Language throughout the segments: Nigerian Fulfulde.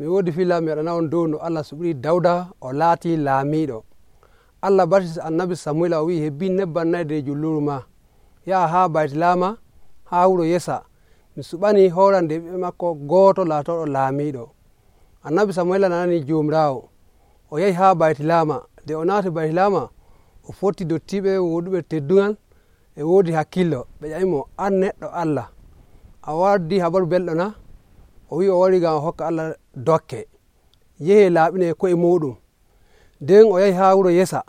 mi woodi fila mi waɗana on dow no Allah suɓiri Dawda o laati laamiiɗo. Allah barti annabi Samuila o wi'i hebbi nebbam 4 nder julluru ma yaha haa Baytlama haa wuro Yesa mi suɓani horande ɓiɓɓe makko gooto laatoɗo laamiiɗo. Annabi Samuila nanani Jomirawo o yahi haa Baytlama. Nde o naati Baytlama o fotti dottiɓe woɗuɓe teddungal e woodi hakkillo. ɓe ƴamimo an neɗɗo Allah a waddi habaru belɗo na? O wi o wari ngam o hokka Allah dokke yehe laaɓine ko'e muɗum. nden o yahi haa wuro Yesa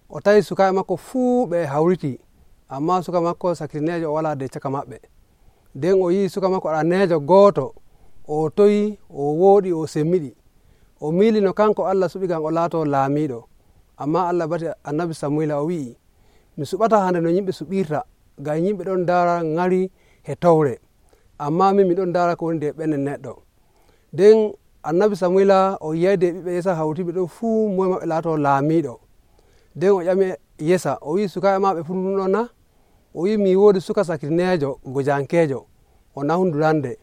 o tawi sukaaɓe makko fuu ɓe hawriti, amma suka makko sakirnejo o wala de caka maɓɓe. nden o yi suka makko arannejo gooto o toyi o wooɗi o semmiɗi o miili no kanko Allah suɓi ngam o laato laamiiɗo. amma Allah bati annabi Samuila o wi'i mi suɓata hande no yimɓe suɓirta ngam yimɓe ɗon ndaara ŋari he towre, amma min miɗon ndaara ko woni nder ɓernde neɗɗo. nden annabi Samuila o yiyayde ɓiɓɓe Yesa hawtiɓe ɗo fuu moye maɓɓe laato laamiiɗo. nden o ƴami Yesa o wi sukaaɓe ma ɓe fuu ɗum ɗon na? o wi mi woodi suka sakirnejo gojankejo o nahundurande.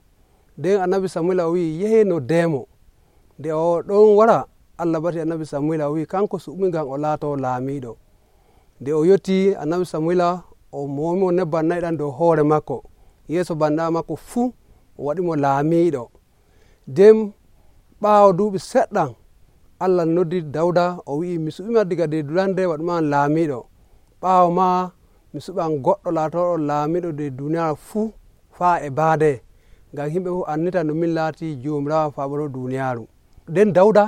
nden annabi Samuila o wi yehe noddemo. nde o ɗon wara Allah bati annabi Samuila o wi kanko suɓumi ngam o laato laamiiɗo. nde o yotti annabi Samuila o moomimo nebbam 4 ɗan dow hoore makko yeeso bandiraaɓe makko fuu o waɗimo laamiiɗo. nden ɓaawo duuɓi seɗɗan Allah noddi Dawda o wi'i mi suɓima diga de durande waɗuma laamiiɗo, ɓaawo ma mi suɓan goɗɗo laatoɗo laamiiɗo de duniyaaru fuu faa e baade, ngam yimɓe fof annita no min laati Jomirawo faaboro duniyaaru. nden Dawda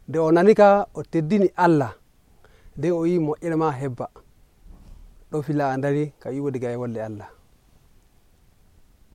nde o nanika o teddini Allah, nden o yi moƴƴere ma hebba. ɗo fila a dari ka yiwo diga e wolde Allah.